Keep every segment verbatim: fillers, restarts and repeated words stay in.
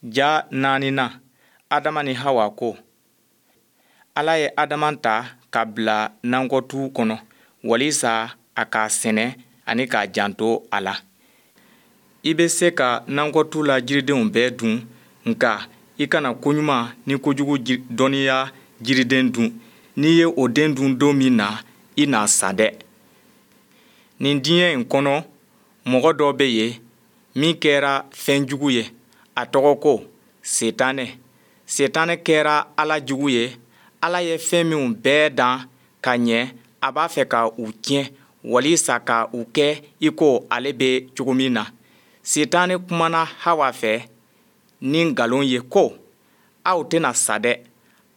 Ja naaninan, Adama ni Hawa ko. Ala ye Adama ta ka bila nakɔtu kɔnɔ walisa a k'a sɛnɛ ani k'a janto a la. I bɛ se ka nakɔtu la jiridenw bɛɛ dun, nka i kana koɲuman ni kojugu dɔnniya jiriden dun. N'i ye o den dun don min na, i na sa dɛ. Nin diɲɛ in kɔnɔ, mɔgɔ dɔ bɛ yen min kɛra fɛn jugu ye. A tɔgɔ ko Sitanɛ. Sitanɛ kɛra Ala jugu ye. Ala ye fɛn minw bɛɛ dan ka ɲɛ, a b'a fɛ ka u tiɲɛ walisa ka u kɛ i ko ale bɛ cogo min na. Sitanɛ kumana Hawa fɛ ni nkalon ye ko, Aw tɛna sa dɛ.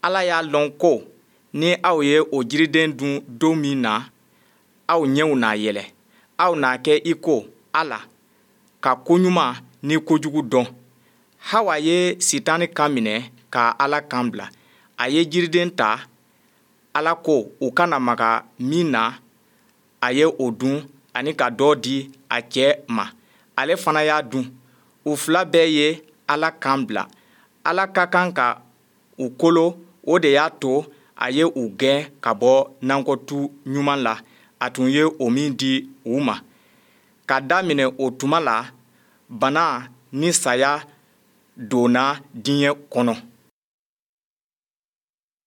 Ala y'a lɔn ko ni aw ye o jiriden dun don min na, aw ɲɛw na yɛlɛ. Aw na kɛ i ko Ala, ka koɲuman ni kojugu dɔn. Hawa ye Sitanɛ kan minɛ ka Ala kan bila. A ye jiriden ta, Ala ko u kana maga min na, a ye o dun ani ka dɔ di a cɛ ma, ale fana y'a dun. U fila bɛɛ ye Ala kan bila. Ala ka kan ka u kolo, o de y'a to a ye u gɛn ka bɔ nakɔtu ɲuman la, a tun ye o min di u ma. Ka daminɛ o tuma la, bana ni saya donna diɲɛ kɔnɔ.